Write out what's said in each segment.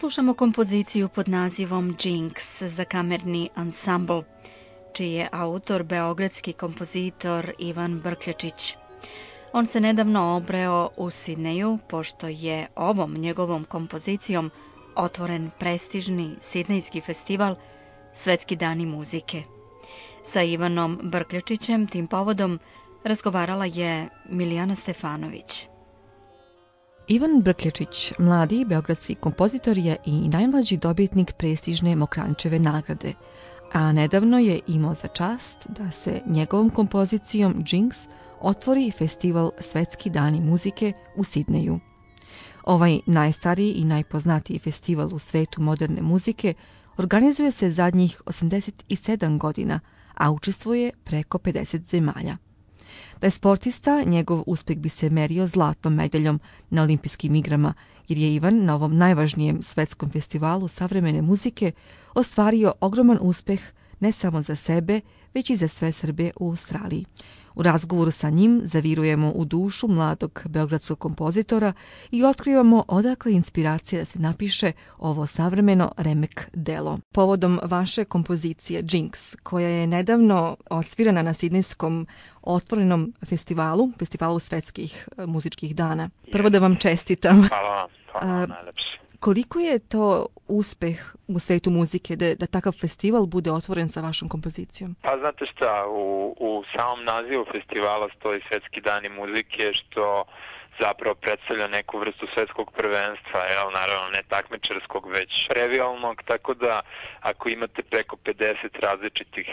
Slušamo kompoziciju pod nazivom Jinx za kamerni ansambl, čiji je autor beogradski kompozitor Ivan Brkljačić. On se nedavno obreo u Sidneju, pošto je ovom njegovom kompozicijom otvoren prestižni sidnejski festival Svetski dani muzike. Sa Ivanom Brkljačićem tim povodom razgovarala je Milijana Stefanović. Ivan Brkljačić, mladi beogradski kompozitor, je i najmlađi dobitnik prestižne Mokranjčeve nagrade, a nedavno je imao za čast da se njegovom kompozicijom Jinx otvori festival Svetski dani muzike u Sidneju. Ovaj najstariji i najpoznatiji festival u svetu moderne muzike organizuje se zadnjih 87 godina, a učestvuje preko 50 zemalja. Da je sportista, njegov uspjeh bi se merio zlatnom medaljom na olimpijskim igrama, jer je Ivan na ovom najvažnijem svetskom festivalu savremene muzike ostvario ogroman uspjeh ne samo za sebe, već i za sve Srbe u Australiji. U razgovoru sa njim zavirujemo u dušu mladog beogradskog kompozitora i otkrivamo odakle inspiracija da se napiše ovo savremeno remek delo. Povodom vaše kompozicije Jinx, koja je nedavno odsvirana na sidnejskom otvorenom festivalu svetskih muzičkih dana. Prvo da vam čestitam. Hvala vam najlepše. Koliko je to uspeh u svetu muzike da takav festival bude otvoren sa vašom kompozicijom? Pa znate šta, u samom nazivu festivala stoji Svetski dani muzike, što zapravo predstavlja neku vrstu svetskog prvenstva, naravno ne takmičarskog, već revijalnog, tako da ako imate preko 50 različitih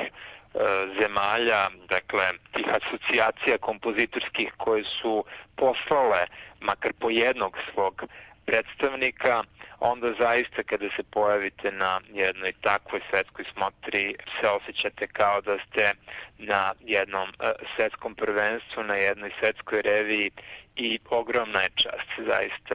zemalja, dakle tih asocijacija kompozitorskih koje su poslale makar po jednog svog predstavnika, onda zaista kada se pojavite na jednoj takvoj svetskoj smotri se osjećate kao da ste na jednom svetskom prvenstvu, na jednoj svetskoj reviji i ogromna je čast, zaista.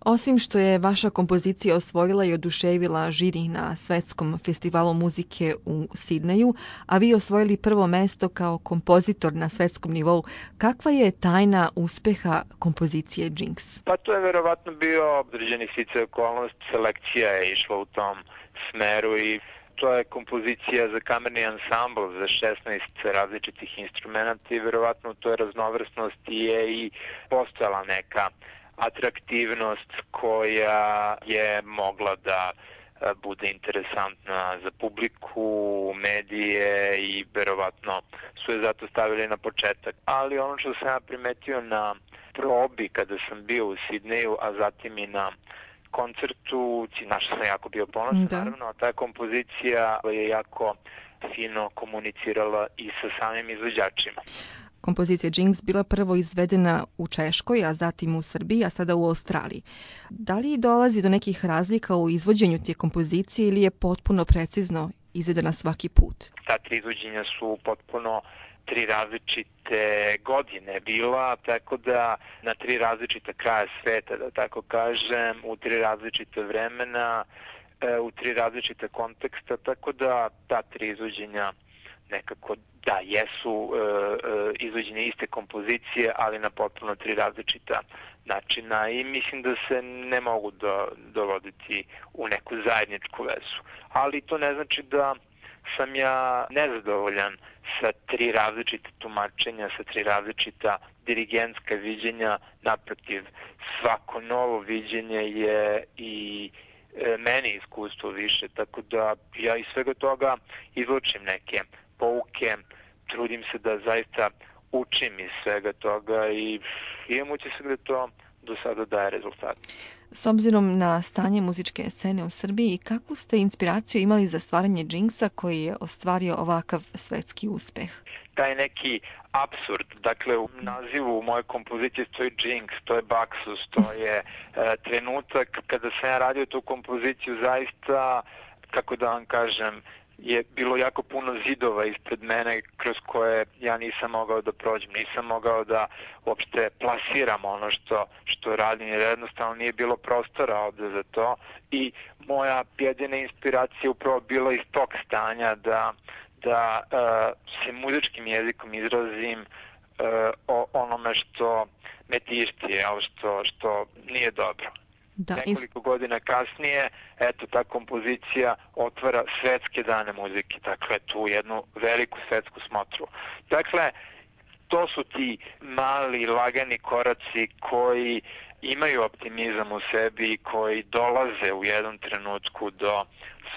Osim što je vaša kompozicija osvojila i oduševila žiri na svetskom festivalu muzike u Sidneju, a vi osvojili prvo mesto kao kompozitor na svetskom nivou, kakva je tajna uspeha kompozicije Jinx? Pa to je verovatno bio određeni sticaj okolnost, selekcija je išla u tom smeru i to je kompozicija za kamerni ansambl za 16 različitih instrumenta i verovatno u toj raznovrsnosti je i postojala neka atraktivnost koja je mogla da bude interesantna za publiku, medije i verovatno su je zato stavili na početak. Ali ono što sam ja primetio na probi kada sam bio u Sidneju, a zatim i na koncertu, na što sam jako bio ponosan, naravno, a ta kompozicija je jako fino komunicirala i sa samim izvođačima. Kompozicija Jinx bila prvo izvedena u Češkoj, a zatim u Srbiji, a sada u Australiji. Da li dolazi do nekih razlika u izvođenju te kompozicije ili je potpuno precizno izvedena svaki put? Ta tri izvođenja su potpuno tri različite godine bila, tako da na tri različita kraja sveta, da tako kažem, u tri različite vremena, u tri različita konteksta, tako da ta tri izvođenja nekako da jesu izvođenje iste kompozicije, ali na potpuno tri različita načina i mislim da se ne mogu dovoditi u neku zajedničku vezu. Ali to ne znači da sam ja nezadovoljan sa tri različite tumačenja, sa tri različita dirigentska viđenja. Naprotiv, svako novo viđenje je i meni iskustvo više, tako da ja iz svega toga izvučem neke pouke, trudim se da zaista učim iz svega toga i imam utisak da to do sada daje rezultat. S obzirom na stanje muzičke scene u Srbiji, kakvu ste inspiraciju imali za stvaranje Jinxa koji je ostvario ovakav svetski uspeh? Taj neki apsurd, dakle u nazivu moje kompozicije stoji Jinx, to je baksus, to je trenutak kada sam ja radio tu kompoziciju zaista, kako da vam kažem, je bilo jako puno zidova ispred mene kroz koje ja nisam mogao da prođem, nisam mogao da uopšte plasiram ono što radim, jer jednostavno nije bilo prostora ovde za to i moja jedina inspiracija upravo bila iz tog stanja da se muzičkim jezikom izrazim o onome što me tišti, što nije dobro. Nekoliko godina kasnije, eto, ta kompozicija otvara svetske dane muzike, dakle, tu jednu veliku svetsku smotru. Dakle, to su ti mali, lagani koraci koji imaju optimizam u sebi i koji dolaze u jednom trenutku do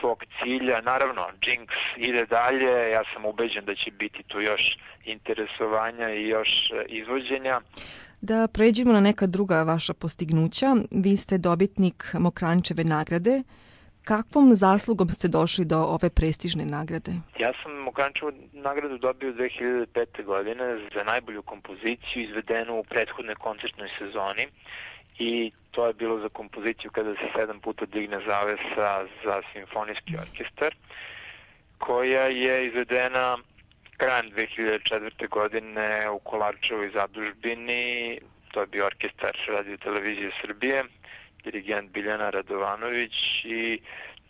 svog cilja. Naravno, Jinx ide dalje, ja sam ubeđen da će biti tu još interesovanja i još izvođenja. Da pređemo na neka druga vaša postignuća. Vi ste dobitnik Mokranjčeve nagrade. Kakvom zaslugom ste došli do ove prestižne nagrade? Ja sam Mokranjčevu nagradu dobio 2005. godine za najbolju kompoziciju izvedenu u prethodnoj koncertnoj sezoni i to je bilo za kompoziciju kada se 7 puta digne zavesa za simfonijski orkestar, koja je izvedena krajem 2004. godine u Kolarčevoj zadužbini. To je bio orkestar Radio Televizije Srbije, dirigent Biljana Radovanović i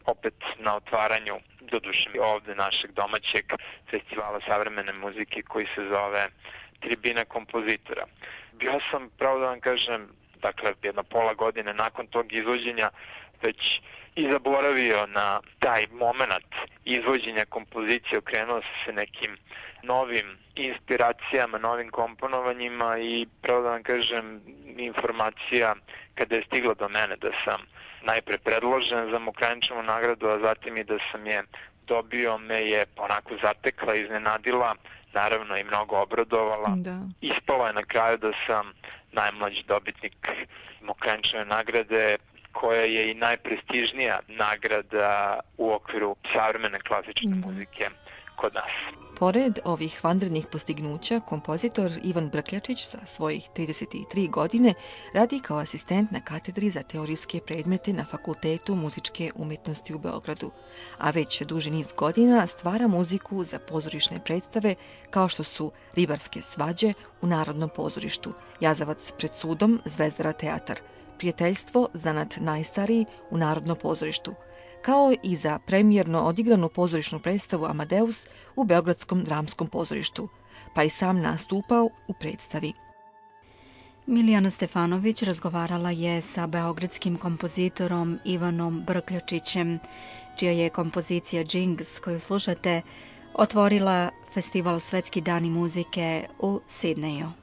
opet na otvaranju, doduše ovde našeg domaćeg festivala savremene muzike koji se zove Tribina kompozitora. Bio sam, pravo da vam kažem, dakle, jedno pola godine nakon tog izvođenja već i zaboravio na taj moment izvođenja kompozicije, okrenuo se nekim novim inspiracijama, novim komponovanjima i pravo da vam kažem, informacija kada je stigla do mene da sam najpre predložen za Mokranjčevu nagradu, a zatim i da sam je dobio, me je onako zatekla, iznenadila, naravno i mnogo obradovala. Ispalo je na kraju da sam najmlađi dobitnik Mokranjčeve nagrade, koja je i najprestižnija nagrada u okviru savremene klasične muzike kod nas. Pored ovih vanrednih postignuća, kompozitor Ivan Brkljačić sa svojih 33 godine radi kao asistent na katedri za teorijske predmete na Fakultetu muzičke umjetnosti u Beogradu, a već duži niz godina stvara muziku za pozorišne predstave kao što su Ribarske svađe u Narodnom pozorištu, Jazavac pred sudom, Zvezdara teatar, Prijateljstvo, zanat najstariji u Narodnom pozorištu, kao i za premijerno odigranu pozorišnu predstavu Amadeus u Beogradskom dramskom pozorištu, pa i sam nastupao u predstavi. Milijana Stefanović razgovarala je sa beogradskim kompozitorom Ivanom Brkljačićem, čija je kompozicija Jinx, koju slušate, otvorila festival Svetski dani muzike u Sidneju.